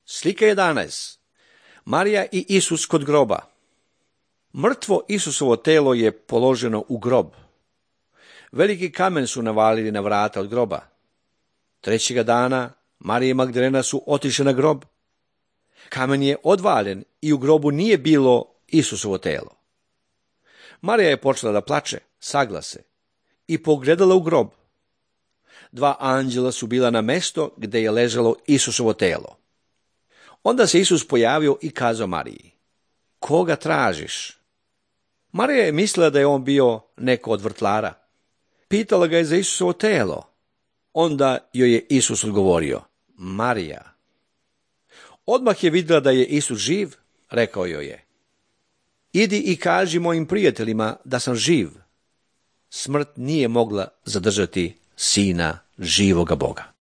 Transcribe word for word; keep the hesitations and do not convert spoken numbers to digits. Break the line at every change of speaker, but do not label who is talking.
Slika jedanaest. Marija i Isus kod groba. Mrtvo Isusovo telo je položeno u grob. Veliki kamen su navalili na vrata od groba. Trećega dana Marija i Magdalena su otišle na grob. Kamen je odvaljen i u grobu nije bilo Isusovo telo. Marija je počela da plače, sagla se i pogledala u grob. Dva anđela su bila na mesto gde je ležalo Isusovo telo. Onda se Isus pojavio i kazao Mariji: koga tražiš? Marija je mislila da je on bio neko od vrtlara. Pitala ga je za Isusovo telo. Onda joj je Isus odgovorio: Marija. Odmah je vidjela da je Isus živ, rekao joj je: idi i kaži mojim prijateljima da sam živ. Smrt nije mogla zadržati Sina živoga Boga.